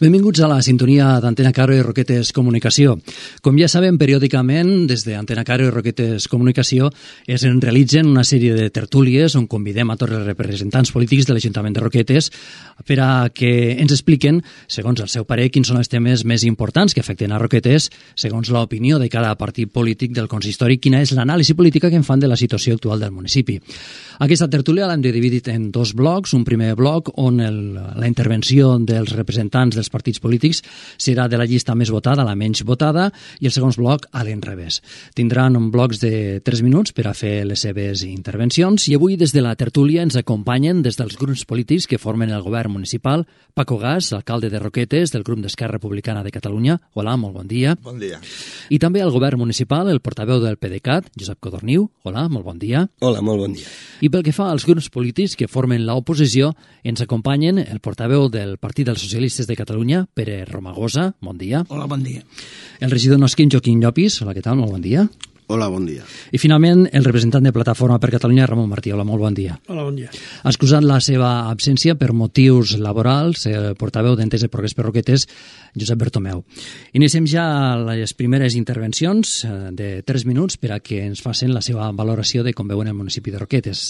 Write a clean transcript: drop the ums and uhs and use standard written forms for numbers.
Benvinguts a la sintonia d'Antena Caro i Roquetes Comunicació. Com ja sabem, periòdicament, des d'Antena Caro i Roquetes Comunicació es realitzen una sèrie de tertúlies on convidem a tots els representants polítics de l'Ajuntament de Roquetes per a que ens expliquen, segons el seu parer, quins són els temes més importants que afecten a Roquetes, segons l'opinió de cada partit polític del consistori, quina és l'anàlisi política que en fan de la situació actual del municipi. Aquesta tertúlia l'hem dividit en dos blocs. Un primer bloc on la intervenció dels representants dels partits polítics serà de la llista més votada a la menys votada i el segon bloc a l'enrevés. Tindran blocs de 3 minuts per a fer les seves intervencions i avui des de la tertúlia ens acompanyen des dels grups polítics que formen el govern municipal Paco Gas, alcalde de Roquetes del grup d'Esquerra Republicana de Catalunya. Hola, molt bon dia. Bon dia. I també al govern municipal el portaveu del PDeCAT, Josep Codorniu. Hola, molt bon dia. Hola, molt bon dia. I pel que fa als grups polítics que formen l'oposició, ens acompanyen el portaveu del Partit dels Socialistes de Catalunya, Pere Romagosa. Bon dia. Hola, bon dia. El regidor Nosquin, Joaquim Llopis. Hola, què tal? Molt bon dia. Hola, bon dia. I finalment el representant de Plataforma per Catalunya, Ramon Martí. Hola, molt bon dia. Hola, bon dia. Excusant la seva absència per motius laborals, el portaveu d'Entesa i Progrés per Roquetes, Josep Bertomeu. Iniciem ja les primeres intervencions de 3 minuts per a que ens facin la seva valoració de com veuen el municipi de Roquetes.